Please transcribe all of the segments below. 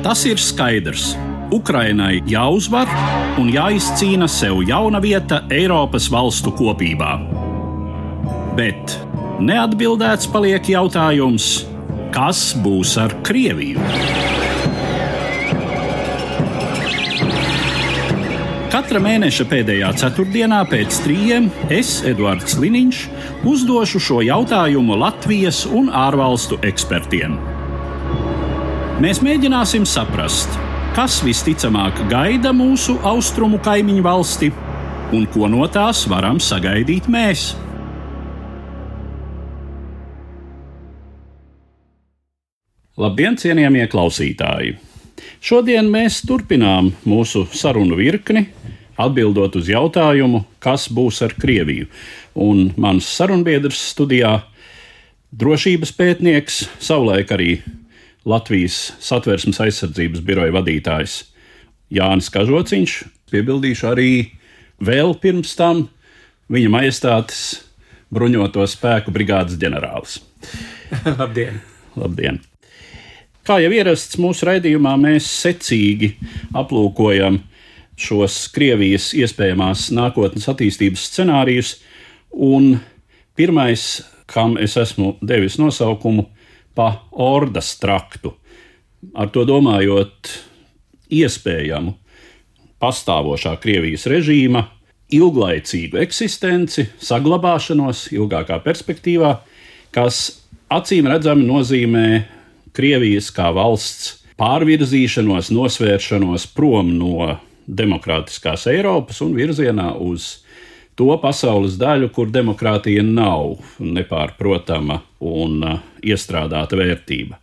Tas ir skaidrs. Ukrainai jāuzvar un jāizcīna sev jauna vieta Eiropas valstu kopībā. Bet neatbildēts paliek jautājums, kas būs ar Krieviju? Katra mēneša pēdējā ceturtdienā pēc 3 es, Eduards Liniņš, uzdošu šo jautājumu Latvijas un ārvalstu ekspertiem. Mēs mēģināsim saprast, kas visticamāk gaida mūsu austrumu kaimiņu valsti un ko no tās varam sagaidīt mēs. Labdien, cienījamie klausītāji! Šodien mēs turpinām mūsu sarunu virkni, atbildot uz jautājumu, kas būs ar Krieviju. Un mans sarunbiedrs studijā - drošības pētnieks, savulaik arī Latvijas Satversmes aizsardzības biroja vadītājs Jānis Kažociņš, piebildīšu arī vēl pirms tam viņa majestātes bruņoto spēku brigādes ģenerālis. Labdien! Labdien! Kā jau ierasts mūsu raidījumā, mēs secīgi aplūkojam šos Krievijas iespējamās nākotnes attīstības scenārijus, un pirmais, kam es esmu devis nosaukumu, pa ordas traktu, ar to domājot iespējamu pastāvošā Krievijas režīma ilglaicīgu eksistenci, saglabāšanos ilgākā perspektīvā, kas acīm redzami nozīmē Krievijas kā valsts pārvirzīšanos, nosvēršanos prom no demokrātiskās Eiropas un virzienā uz to pasaules daļu, kur demokrātija nav nepārprotama un iestrādāta vērtība.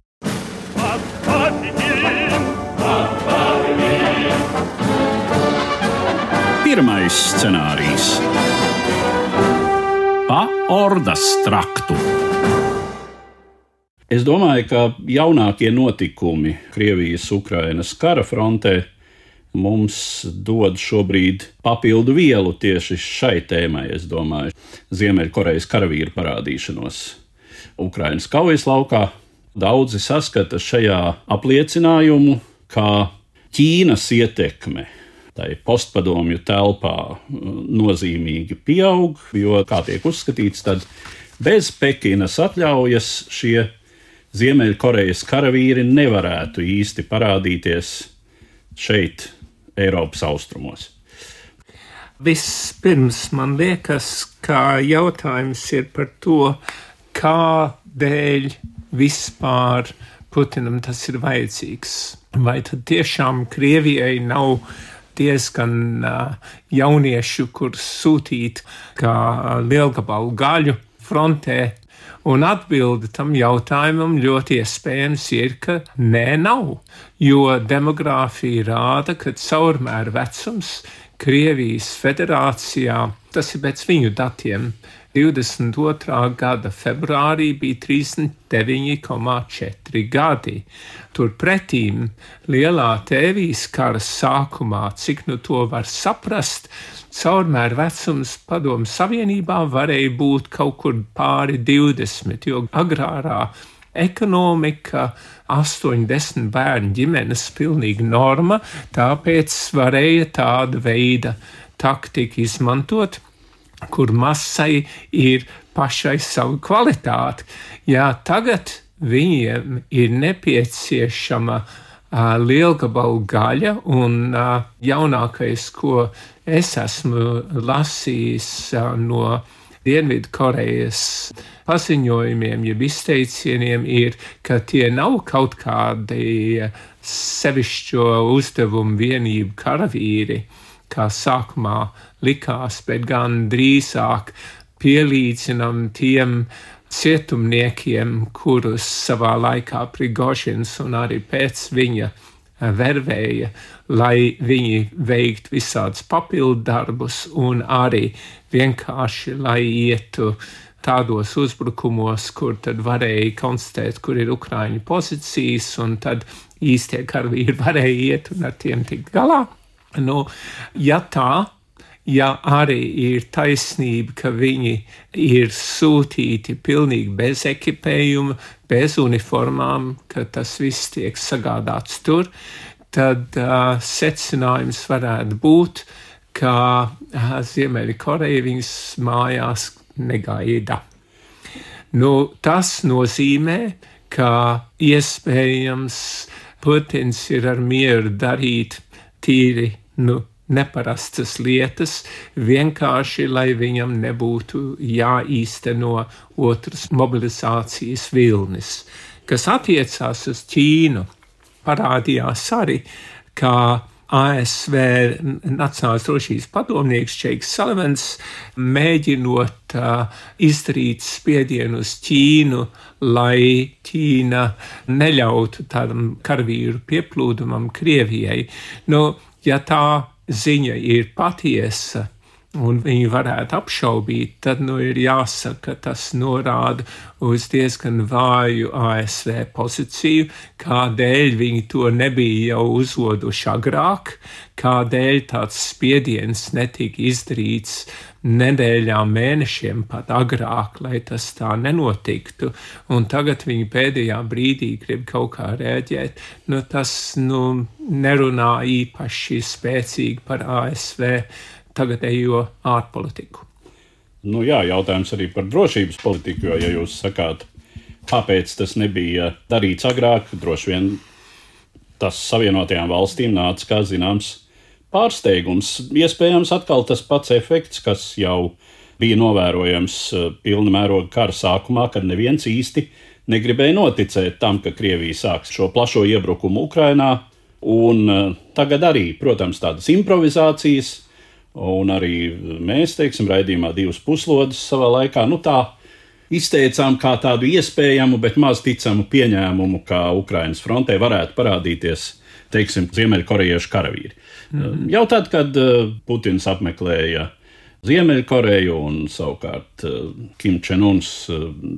Pirmais scenārijs - pa ordas traktu. Es domāju, ka jaunākie notikumi Krievijas-Ukrainas kara frontē mums dod šobrīd papildu vielu tieši šai tēmai, es domāju, Ziemeļkorejas karavīru parādīšanos Ukrainas kaujas laukā. Daudzi saskata šajā apliecinājumu, ka Ķīnas ietekme tai postpadomju telpā nozīmīgi pieaug, jo, kā tiek uzskatīts, tad bez Pekinas atļaujas šie Ziemeļkorejas karavīri nevarētu īsti parādīties šeit, Eiropas austrumos. Vispirms man liekas, ka jautājums ir par to, kādēļ vispār Putinam tas ir vajadzīgs. Vai tad tiešām Krievijai nav diezgan jauniešu, kur sūtīt kā lielgabalu gaļu frontē? Un atbilde tam jautājumam ļoti iespējams ir, ka nē, nav. Jo demogrāfija rāda, ka caurmēra vecums Krievijas federācijā, tas ir pēc viņu datiem, 22. gada februārī bija 39,4 gadi. Turpretīm lielā tēvijas kara sākumā, cik nu to var saprast, caurmēra vecums Padomju Savienībā varēja būt kaut kur pāri 20, jo agrārā ekonomika 8-10 bērnu ģimenes pilnīgi norma, tāpēc varēja tāda veida taktika izmantot, kur masai ir pašai savu kvalitāti. Jā, tagad viņiem ir nepieciešama lielgabalu gaļa, un jaunākais, ko es esmu lasījis no Dienvidkorejas paziņojumiem, jeb izteicieniem, ir, ka tie nav kaut kādi sevišķo uzdevumu vienību karavīri, kā sākumā likās, bet gan drīzāk pielīdzinam tiem cietumniekiem, kurus savā laikā Prigožins un arī pēc viņa vervēja, lai viņi veiktu visādus papildu darbus un arī vienkārši, lai ietu tādos uzbrukumos, kur tad varēja konstatēt, kur ir Ukraiņu pozīcijas, un tad īstie karavīri varēja iet un ar tiem tikt galā. Nu, ja tā ja arī ir taisnība, ka viņi ir sūtīti pilnīgi bez ekipējuma, bez uniformām, ka tas viss tiek sagādāts tur, tad secinājums varētu būt, ka Ziemeļkoreja viņus mājās negaida. Tas nozīmē, ka iespējams Putins ir ar mieru darīt tīri, neparastas lietas, vienkārši, lai viņam nebūtu jāīsteno otras mobilizācijas vilnis. Kas attiecās uz Ķīnu, parādījās arī, ka ASV Nacionālās drošības padomnieks Džeiks Salivans, mēģinot izdarīt spiedienu uz Ķīnu, lai Ķīna neļautu tādam karavīru pieplūdumam Krievijai. Ja tā ziņa ir patiesa, un viņi varētu apšaubīt, tad ir jāsaka, ka tas norāda uz diezgan vāju ASV pozīciju, kādēļ viņi to nebija jau uzvoduši agrāk, kādēļ tāds spiediens netika izdarīts nedēļām, mēnešiem pat agrāk, lai tas tā nenotiktu, un tagad viņi pēdējā brīdī grib kaut kā rēģēt. Tas nerunā īpaši spēcīgi par ASV tagadējo ārpolitiku. Jautājums arī par drošības politiku, jo, ja jūs sakāt, kāpēc tas nebija darīts agrāk, droši vien tas Savienotajām valstīm nāca kā zināms pārsteigums. Iespējams atkal tas pats efekts, kas jau bija novērojams pilna mēroga kara sākumā, kad neviens īsti negribēja noticēt tam, ka Krievija sāks šo plašo iebrukumu Ukrainā, un tagad arī, protams, tādas improvizācijas. Un arī mēs, raidījumā 2 puslodes savā laikā, tā izteicām kā tādu iespējamu, bet maz ticamu pieņēmumu, ka Ukrainas frontē varētu parādīties, ziemeļkorejiešu karavīri. Jau tad, kad Putins apmeklēja Ziemeļkoreju un savukārt Kim Čen-uns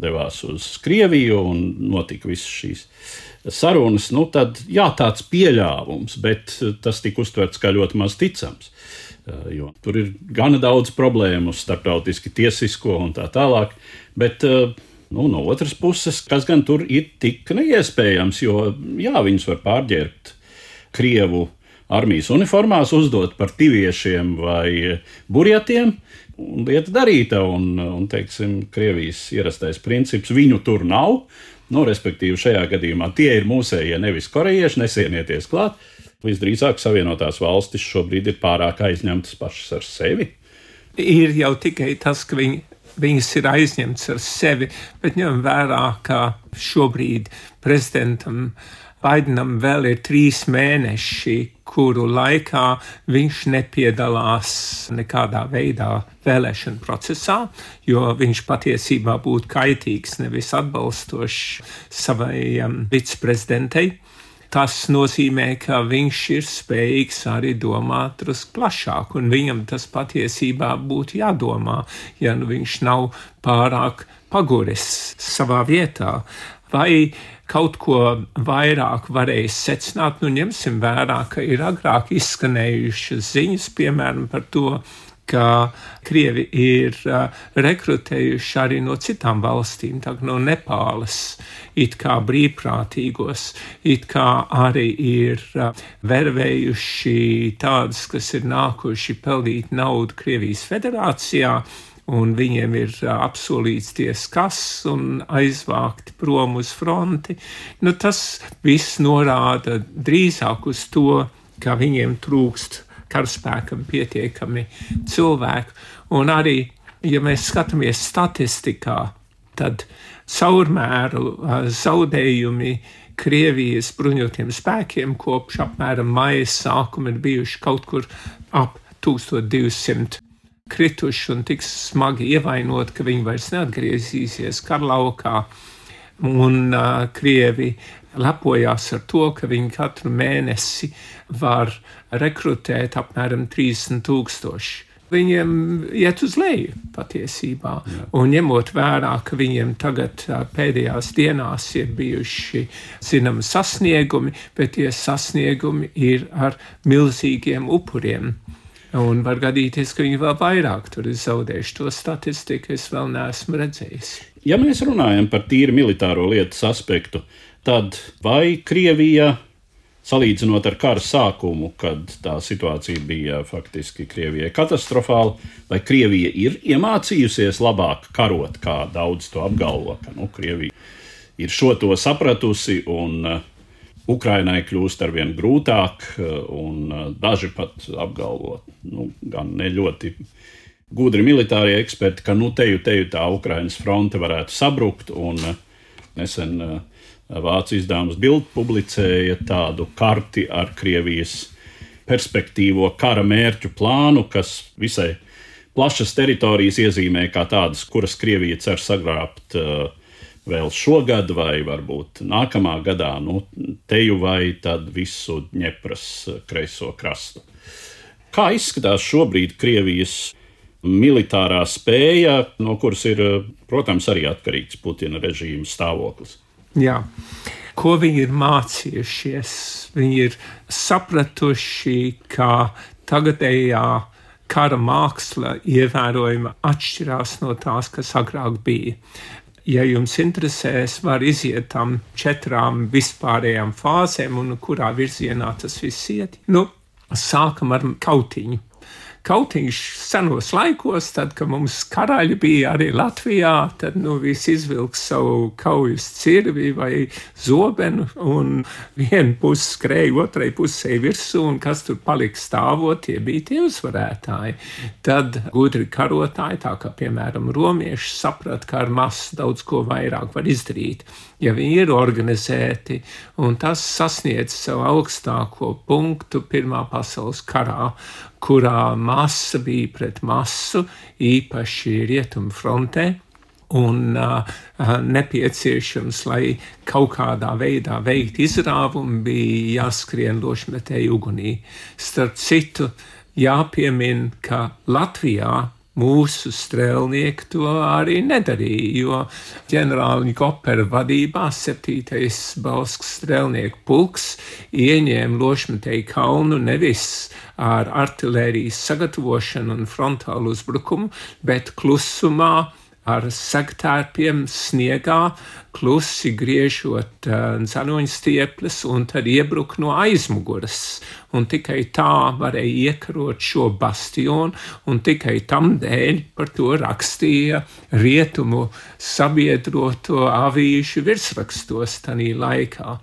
devās uz Krieviju un notika visas šīs sarunas, tad tāds pieļāvums, bet tas tika uztverts kā ļoti maz ticams. Jo tur ir gana daudz problēmu starptautiski tiesisko un tā tālāk, bet no otras puses, kas gan tur ir tik neiespējams, jo viņus var pārģērbt Krievu armijas uniformās, uzdot par tiviešiem vai burjatiem, un lieta darīta, un Krievijas ierastais princips viņu tur nav, respektīvi šajā gadījumā tie ir mūsējie, nevis korejieši, nesienieties klāt. Visdrīzāk Savienotās valstis šobrīd ir pārāk aizņemtas pašas ar sevi. Ir jau tikai tas, ka viņas ir aizņemtas ar sevi, bet ņem vērā, ka šobrīd prezidentam Baidenam vēl ir 3 mēneši, kuru laikā viņš nepiedalās nekādā veidā vēlēšanu procesā, jo viņš patiesībā būtu kaitīgs, nevis atbalstošs savai viceprezidentei. Tas nozīmē, ka viņš ir spējīgs arī domāt drusku plašāk, un viņam tas patiesībā būtu jādomā, ja viņš nav pārāk paguris savā vietā. Vai kaut ko vairāk varēs secināt, ņemsim vērā, ka ir agrāk izskanējušas ziņas, piemēram, par to, ka Krievi ir rekrutējuši arī no citām valstīm, tā no Nepālas, it kā brīvprātīgos, it kā arī ir vervējuši tādus, kas ir nākuši peldīt naudu Krievijas federācijā, un viņiem ir apsolīts kas un aizvākti prom uz fronti. Tas viss norāda drīzāk uz to, ka viņiem trūkst karaspēkam pietiekami cilvēku. Un arī, ja mēs skatāmies statistikā, tad caurmēru zaudējumi Krievijas bruņotiem spēkiem kopš apmēram maija sākuma ir bijuši kaut kur ap 1200 krituši un tik smagi ievainot, ka viņi vairs neatgriezīsies karlaukā. Un Krievi lepojās ar to, ka viņi katru mēnesi var rekrutēt apmēram 30,000. Viņiem iet uz leju patiesībā. Un ņemot vērā, ka viņiem tagad pēdējās dienās ir bijuši zinām sasniegumi, bet tie sasniegumi ir ar milzīgiem upuriem. Un var gadīties, ka viņi vēl vairāk tur ir zaudējuši. To statistiku es vēl neesmu redzējis. Ja mēs runājam par tīri militāro lietas aspektu, tad vai Krievija, salīdzinot ar kara sākumu, kad tā situācija bija faktiski Krievijai katastrofāla, vai Krievija ir iemācījusies labāk karot, kā daudz to apgalvo, ka Krievija ir šo to sapratusi un Ukrainai kļūst arvien grūtāk, un daži pat apgalvo, gan ne ļoti gudri militārie eksperti, ka teju tā Ukrainas fronte varētu sabrukt, un nesen vācu izdevums Bild publicēja tādu karti ar Krievijas perspektīvo kara mērķu plānu, kas visai plašas teritorijas iezīmē kā tādas, kuras Krievija cer sagrābt vēl šogad vai varbūt nākamā gadā, teju vai tad visu Dņepras kreiso krastu. Kā izskatās šobrīd Krievijas militārā spēja, no kuras ir, protams, arī atkarīgs Putina režīma stāvoklis? Jā. Ko viņi ir mācījušies? Viņi ir sapratuši, ka tagadējā kara māksla ievērojami atšķirās no tās, kas agrāk bija. Ja jums interesēs, var iziet tam 4 vispārējām fāzēm un kurā virzienā tas viss iet. Sākam ar kautiņu. Kautiņš senos laikos, tad, kad mums karaļi bija arī Latvijā, tad visi izvilks savu kaujas cirvi vai zobenu un vienu pusi skrēja otrai pusē virsū un kas tur palika stāvot, tie bija tie uzvarētāji. Tad gudri karotāji, tā kā piemēram romieši, saprata, ka ar masu daudz ko vairāk var izdarīt, ja viņi ir organizēti, un tas sasniedz savu augstāko punktu Pirmā pasaules karā, kurā masa bija pret masu, īpaši rietumu frontē, un nepieciešams, lai kaut kādā veidā veikt izrāvumu, bija jāskrien lošmetēju ugunī. Starp citu, jāpiemin, ka Latvijā mūsu strēlnieki to arī nedarīja, jo ģenerāli Gopera vadībā 7. Bauskas strēlnieku pulks ieņēma Lošmetēju kalnu nevis ar artilērijas sagatavošanu un frontālu uzbrukumu, bet klusumā ar segtērpiem sniegā, klusi griežot dzeloņstieples un tad iebruk no aizmuguras. Un tikai tā varēja iekarot šo bastionu, un tikai tam dēļ par to rakstīja rietumu sabiedroto avīžu virsrakstos tanī laikā.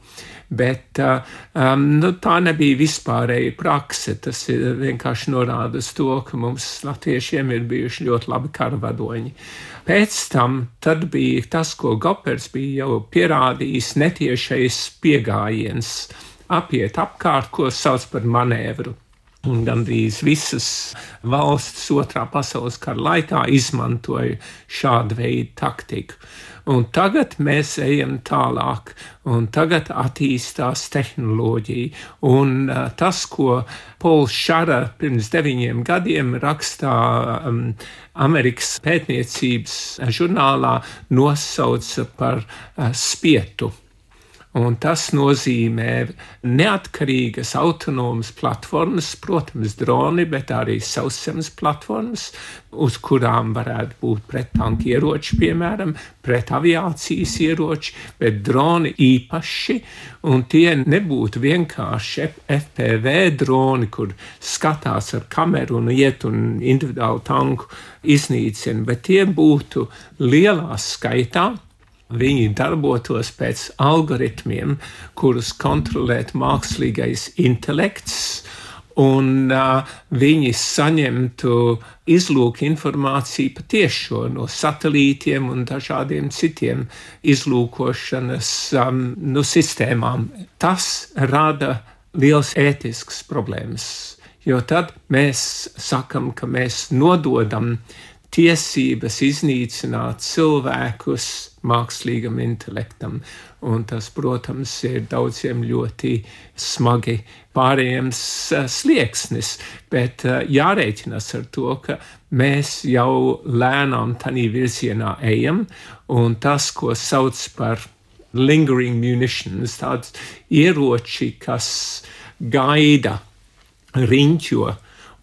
Bet tā nebija vispārēja prakse, tas vienkārši norāda uz to, ka mums latviešiem ir bijuši ļoti labi karavadoņi. Pēc tam tad bija tas, ko Gopers bija jau pierādījis, netiešais piegājiens, apiet apkārt, ko sauc par manēvru. Un gandrīz visas valstis Otrā pasaules kara laikā izmantoja šādu veidu taktiku. Un tagad mēs ejam tālāk, un tagad attīstās tehnoloģija. Un tas, ko Pols Šara pirms 9 gadiem rakstā Amerikas pētniecības žurnālā, nosauca par spietu. Un tas nozīmē neatkarīgas autonomas platformas, protams, droni, bet arī sauszemes platformas, uz kurām varētu būt prettanku ieroči, piemēram, pret aviācijas ieroči, bet droni īpaši, un tie nebūtu vienkārši FPV droni, kur skatās ar kameru un iet un individuālu tanku iznīcina, bet tie būtu lielā skaitā. Viņi darbotos pēc algoritmiem, kurus kontrolēt mākslīgais intelekts, un viņi saņemtu izlūku informāciju patiešo no satelītiem un dažādiem citiem izlūkošanas sistēmām. Tas rada liels ētisks problēmas, jo tad mēs sakam, ka mēs nododam tiesības iznīcināt cilvēkus mākslīgam intelektam, un tas, protams, ir daudziem ļoti smagi pārējams slieksnis, bet jārēķinās ar to, ka mēs jau lēnām tanī virzienā ejam, un tas, ko sauc par lingering munitions, tāds ieroči, kas gaida, riņķo,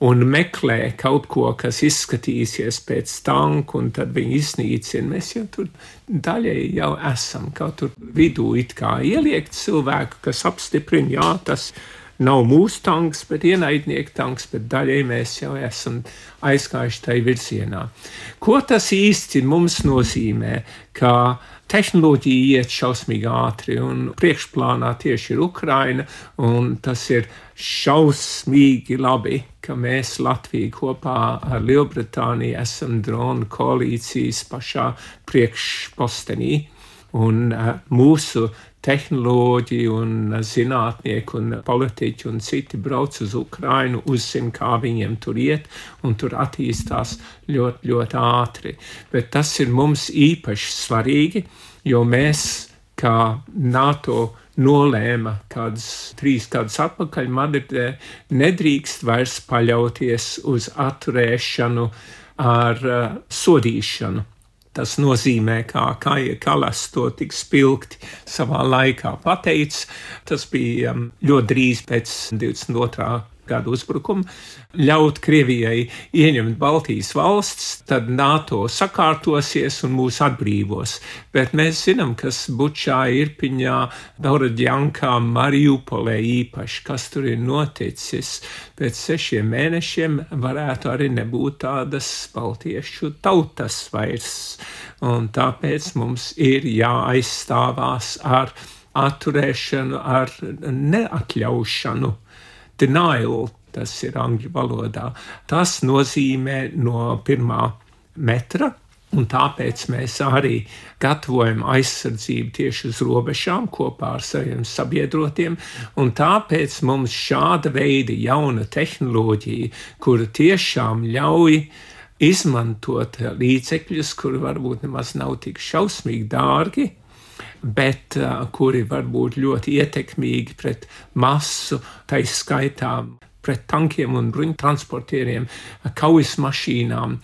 un meklē kaut ko, kas izskatīsies pēc tanku, un tad viņi iznīcina. Mēs jau tur daļēji jau esam, kaut tur vidū it kā ieliekt cilvēku, kas apstiprina, jā, tas nav mūsu tanks, bet ienaidnieku tanks, bet daļēji mēs jau esam aizgājuši tai virzienā. Ko tas īsti mums nozīmē, ka tehnoloģija iet šausmīgi ātri, un priekšplānā tieši ir Ukraina, un tas ir šausmīgi labi, ka mēs Latvija kopā ar Lielbritāniju esam dronu koalīcijas pašā priekšpostenī, un mūsu tehnoloģi un zinātnieki un politiķi un citi brauc uz Ukrainu, uzzina, kā viņiem tur iet, un tur attīstās ļoti, ļoti ātri. Bet tas ir mums īpaši svarīgi, jo mēs, kā NATO nolēma kādus 3 gadus atpakaļ Madridē, nedrīkst vairs paļauties uz atturēšanu ar sodīšanu. Tas nozīmē, kā Kaja Kallas to tik spilgti savā laikā pateica. Tas bija ļoti drīz pēc 22. gada uzbrukuma. Ļaut Krievijai ieņemt Baltijas valsts, tad NATO sakārtosies un mūs atbrīvos. Bet mēs zinām, kas Bučā, Irpiņā, Borodjankā, Mariupolē īpaši, kas tur ir noticis. Pēc 6 mēnešiem varētu arī nebūt tādas baltiešu tautas vairs. Un tāpēc mums ir jāaizstāvās ar atturēšanu, ar neatļaušanu. Denial, tas ir angļu valodā. Tas nozīmē no 1. metra, un tāpēc mēs arī gatavojam aizsardzību tieši uz robežām kopā ar saviem sabiedrotiem, un tāpēc mums šāda veida jauna tehnoloģija, kura tiešām ļauj izmantot līdzekļus, kuri varbūt nemaz nav tik šausmīgi dārgi, bet kuri var būt ļoti ietekmīgi pret masu, tai skaitā pret tankiem un bruņtransportieriem, kaujas mašīnām.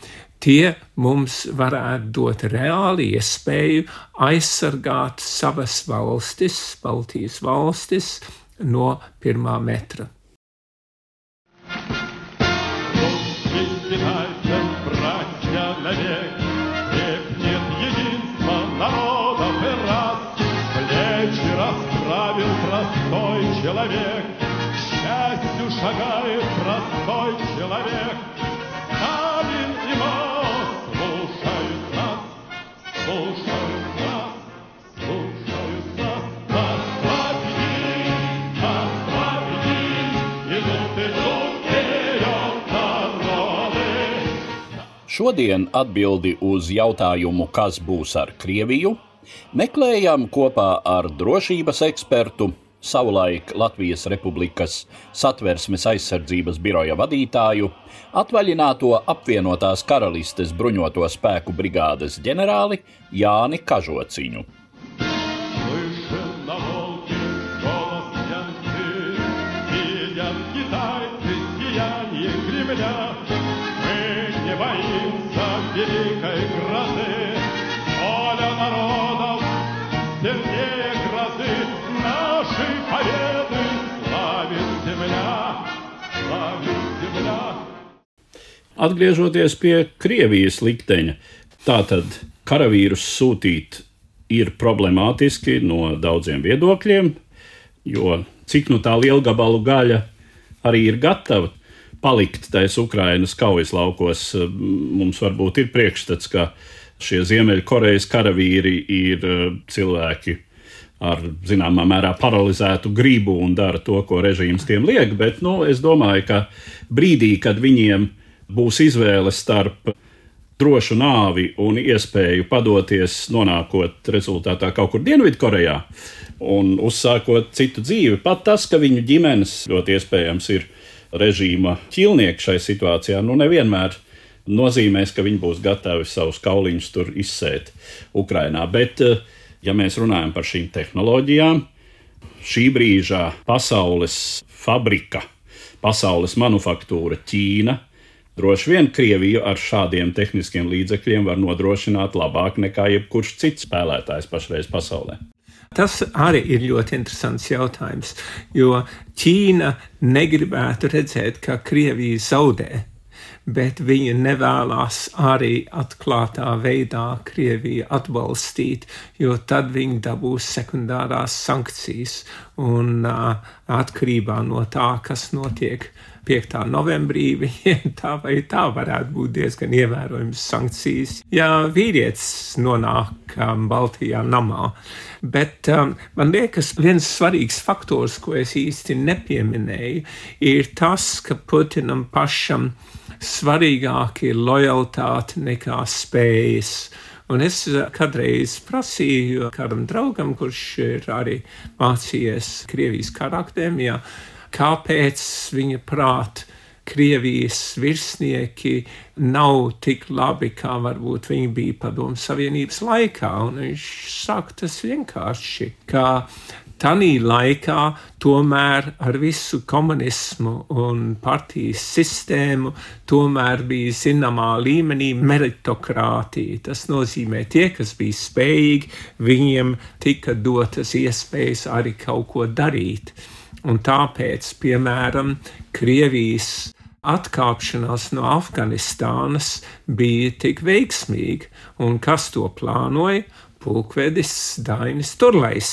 Tie mums varētu dot reāli iespēju aizsargāt savas valstis, Baltijas valstis, no 1. metra. Простой человек, к счастью шагает простой человек. Сталин и Мао слушают нас, слушают нас, слушают нас. Нас победи, идут вперед народы. Šodien atbildi uz jautājumu, kas būs ar Krieviju, meklējam kopā ar drošības ekspertu, savulaik Latvijas Republikas Satversmes aizsardzības biroja vadītāju, atvaļināto apvienotās karalistes bruņoto spēku brigādes ģenerāli Jāni Kažociņu. Atgriežoties pie Krievijas likteņa, tātad karavīrus sūtīt ir problemātiski no daudziem viedokļiem, jo cik nu tā lielgabalu gaļa arī ir gatava palikt tais Ukrainas kaujas laukos, mums varbūt ir priekšstats, ka šie Ziemeļkorejas karavīri ir cilvēki ar zināmā mērā paralizētu gribu un dara to, ko režīms tiem liek, bet es domāju, ka brīdī, kad viņiem būs izvēle starp drošu nāvi un iespēju padoties, nonākot rezultātā kaut kur Dienvidkorejā un uzsākot citu dzīvi, pat tas, ka viņu ģimenes ļoti iespējams ir režīma ķilnieki šai situācijā, nevienmēr nozīmēs, ka viņi būs gatavi savus kauliņus tur izsēt Ukrainā. Bet, ja mēs runājam par šīm tehnoloģijām, šī brīžā pasaules fabrika, pasaules manufaktūra Ķīna, droši vien Krieviju ar šādiem tehniskiem līdzekļiem var nodrošināt labāk nekā jebkurš cits spēlētājs pašreiz pasaulē. Tas arī ir ļoti interesants jautājums, jo Ķīna negribētu redzēt, ka Krievija zaudē, bet viņa nevēlas arī atklātā veidā Krieviju atbalstīt, jo tad viņi dabūs sekundārās sankcijas un atkarībā no tā, kas notiek 5. novembrī, viņiem tā vai tā varētu būt diezgan ievērojams sankcijas, ja vīrietis nonāk Baltijā namā. Bet man liekas, viens svarīgs faktors, ko es īsti nepieminēju, ir tas, ka Putinam pašam svarīgāk ir lojalitāte nekā spējas. Un es kādreiz prasīju kādam draugam, kurš ir arī mācījies Krievijas kara akadēmijā, kāpēc viņa prāt Krievijas virsnieki nav tik labi, kā varbūt viņi bija Padomju Savienības laikā. Un viņš saka, tas vienkārši, ka tanī laikā tomēr ar visu komunismu un partijas sistēmu tomēr bija zināmā līmenī meritokratija. Tas nozīmē tie, kas bija spējīgi, viņiem tika dotas iespējas arī kaut ko darīt. Un tāpēc, piemēram, Krievijas atkāpšanās no Afganistānas bija tik veiksmīga. Un kas to plānoja? Pulkvedis Dainis Turlejs,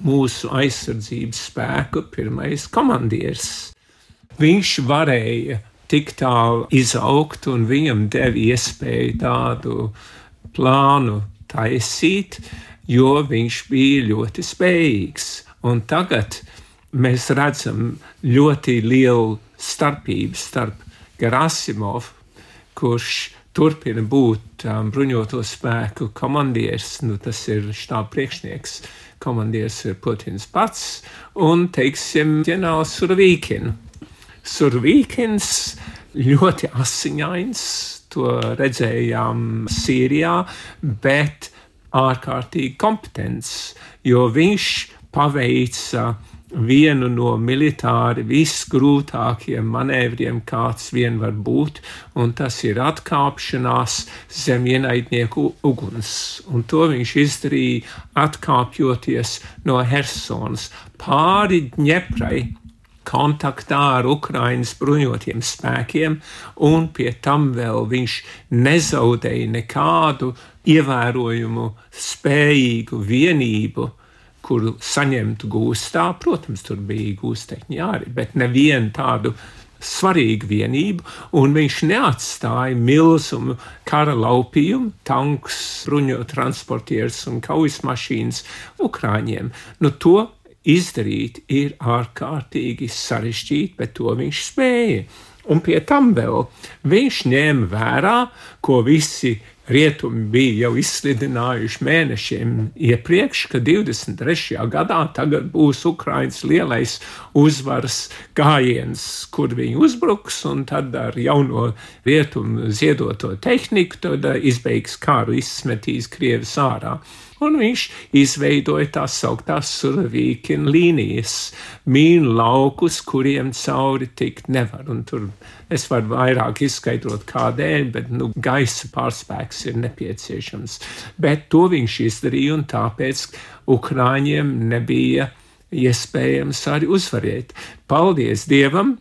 mūsu aizsardzības spēku pirmais komandieris. Viņš varēja tik tālu izaugt un viņam deva iespēju tādu plānu taisīt, jo viņš bija ļoti spējīgs. Un tagad mēs redzam ļoti lielu starpību starp Gerasimovu, kurš turpina būt bruņoto spēku komandieris, tas ir štāba priekšnieks, komandieris ir Putins pats, un, teiksim, ģenerālis Surovīkins. Surovīkins ļoti asiņains, to redzējām Sīrijā, bet ārkārtīgi kompetents, jo viņš paveica vienu no militāri visgrūtākajiem manēvriem, kāds vien var būt, un tas ir atkāpšanās zem ienaidnieku uguns. Un to viņš izdarīja atkāpjoties no Hersonas pāri Dņeprai, kontaktā ar Ukrainas bruņotiem spēkiem, un pie tam vēl viņš nezaudēja nekādu ievērojumu spējīgu vienību, kuru saņemtu gūstā. Protams, tur bija gūstekņi arī, bet nevienu tādu svarīgu vienību, un viņš neatstāja milzumu kara laupījumu, tankus, bruņotransportierus un kaujas mašīnas Ukraiņiem. To izdarīt ir ārkārtīgi sarežģīti, bet to viņš spēja. Un pie tam vēl viņš ņēma vērā, ko visi rietumi bija jau izslidinājuši mēnešiem iepriekš, ka 23. gadā tagad būs Ukrainas lielais uzvaras gājiens, kur viņi uzbruks, un tad ar jauno rietumu ziedoto tehniku tad izbeigs kāru, izsmetīs Krievis ārā. Un viņš izveidoja tās sauktās Surovīkina līnijas, mīnu laukus, kuriem cauri tikt nevar. Un tur es varu vairāk izskaidrot kādēļ, bet gaisa pārspēks ir nepieciešams. Bet to viņš izdarīja, un tāpēc Ukraiņiem nebija iespējams arī uzvarēt. Paldies Dievam!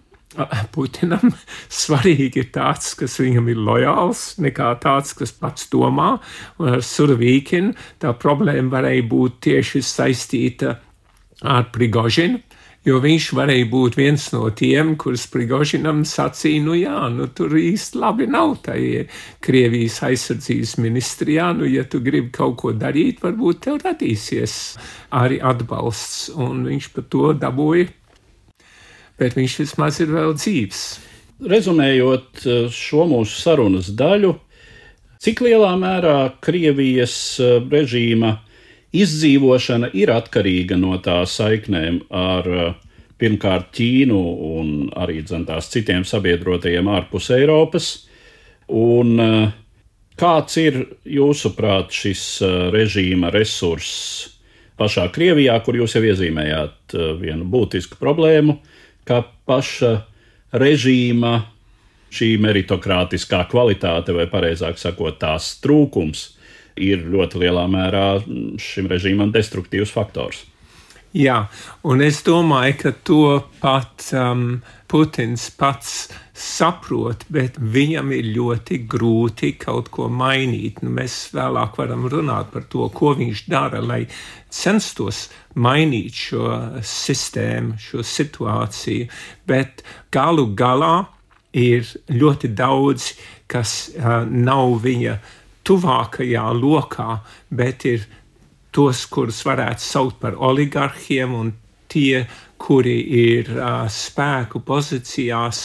Putinam svarīgi ir tāds, kas viņam ir lojāls, nekā tāds, kas pats domā. Un ar Surovīkinu tā problēma varēja būt tieši saistīta ar Prigožinu, jo viņš varēja būt viens no tiem, kurus Prigožinam sacīja, tur īsti labi nav tajā Krievijas aizsardzības ministrijā, ja tu gribi kaut ko darīt, varbūt tev radīsies arī atbalsts, un viņš par to dabūja. Bet viņš vismaz ir vēl dzīvs. Rezumējot šo mūsu sarunas daļu, cik lielā mērā Krievijas režīma izdzīvošana ir atkarīga no tā saiknēm ar pirmkārt Ķīnu un arī tās citiem sabiedrotajiem ārpus Eiropas, un kāds ir jūsuprāt šis režīma resurss pašā Krievijā, kur jūs jau iezīmējāt vienu būtisku problēmu, ka paša režīma šī meritokrātiskā kvalitāte, vai pareizāk sakot, tās trūkums, ir ļoti lielā mērā šim režīmam destruktīvs faktors. Jā, un es domāju, ka to pat Putins pats saprot, bet viņam ir ļoti grūti kaut ko mainīt. Mēs vēlāk varam runāt par to, ko viņš dara, lai censtos mainīt šo sistēmu, šo situāciju, bet galu galā ir ļoti daudz, kas nav viņa tuvākajā lokā, bet ir tos, kurus varētu saukt par oligarhiem, un tie, kuri ir spēku pozīcijās,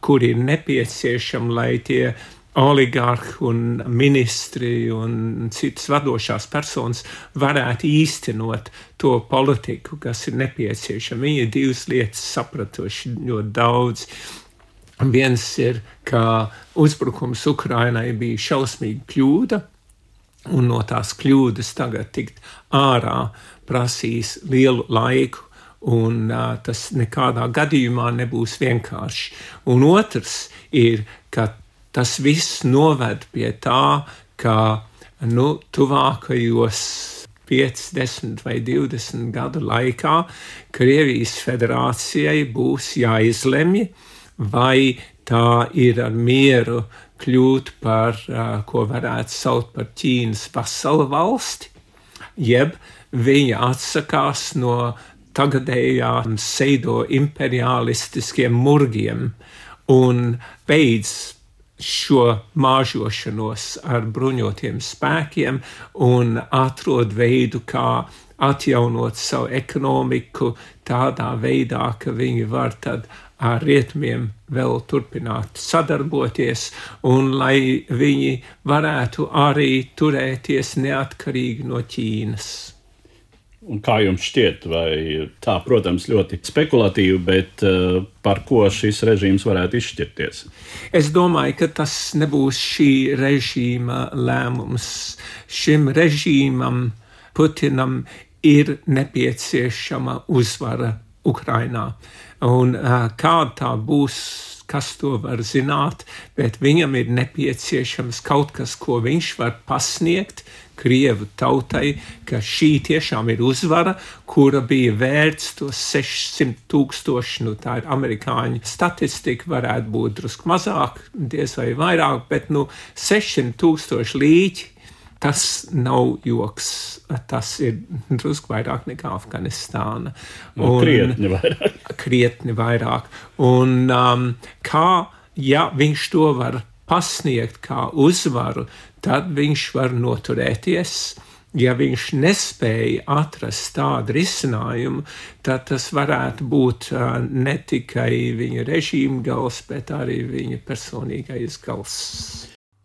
kuri ir nepieciešami, lai tie oligarhi un ministri un citas vadošās personas varētu īstenot to politiku, kas ir nepieciešama. Viņi ir divas lietas sapratuši ļoti daudz. Viens ir, ka uzbrukums Ukrainai bija šausmīga kļūda, un no tās kļūdas tagad tikt ārā prasīs lielu laiku, un tas nekādā gadījumā nebūs vienkārši. Un otrs ir, ka tas viss noved pie tā, ka tuvākajos 5, 10 vai 20 gadu laikā Krievijas federācijai būs jāizlemj, vai tā ir ar mieru kļūt par, ko varētu saukt par Ķīnas vasalu valsti, jeb viņa atsakās no tagadējām pseido imperialistiskiem murgiem un beidz šo māžošanos ar bruņotiem spēkiem un atrod veidu, kā atjaunot savu ekonomiku tādā veidā, ka viņi var tad ar rietumiem vēl turpināt sadarboties, un lai viņi varētu arī turēties neatkarīgi no Ķīnas. Un kā jums šķiet, vai tā, protams, ļoti spekulatīvi, bet par ko šis režīms varētu izšķirties? Es domāju, ka tas nebūs šī režīma lēmums. Šim režīmam, Putinam, ir nepieciešama uzvara Ukrainā. Un kāda tā būs, kas to var zināt, bet viņam ir nepieciešams kaut kas, ko viņš var pasniegt Krievu tautai, ka šī tiešām ir uzvara, kura bija vērts tos 600,000, tā ir amerikāņu statistika, varētu būt drusku mazāk, diez vai vairāk, bet 600,000 līķi, tas nav joks, tas ir drusku vairāk nekā Afganistāna. Krietni vairāk. Un ja viņš to var pasniegt kā uzvaru, tad viņš var noturēties. Ja viņš nespēja atrast tādu risinājumu, tad tas varētu būt ne tikai viņa režīma gals, bet arī viņa personīgais gals.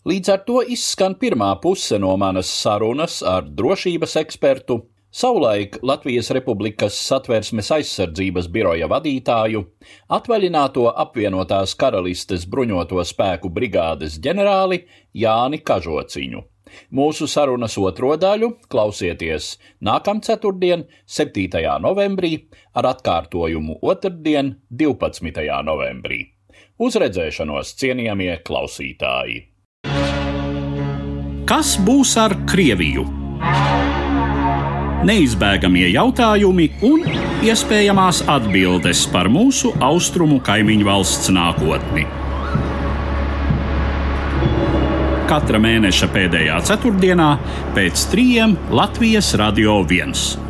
Līdz ar to izskan pirmā puse no manas sarunas ar drošības ekspertu, savulaik Latvijas Republikas Satversmes aizsardzības biroja vadītāju, atvaļināto apvienotās karalistes bruņoto spēku brigādes ģenerāli Jāni Kažociņu. Mūsu sarunas otro daļu klausieties nākamceturtdien, 7. novembrī, ar atkārtojumu otrdien, 12. novembrī. Uz redzēšanos, cienījamie klausītāji! Kas būs ar Krieviju? Neizbēgamie jautājumi un iespējamās atbildes par mūsu austrumu kaimiņu valsts nākotni. Katra mēneša pēdējā ceturtdienā pēc 3 Latvijas Radio 1.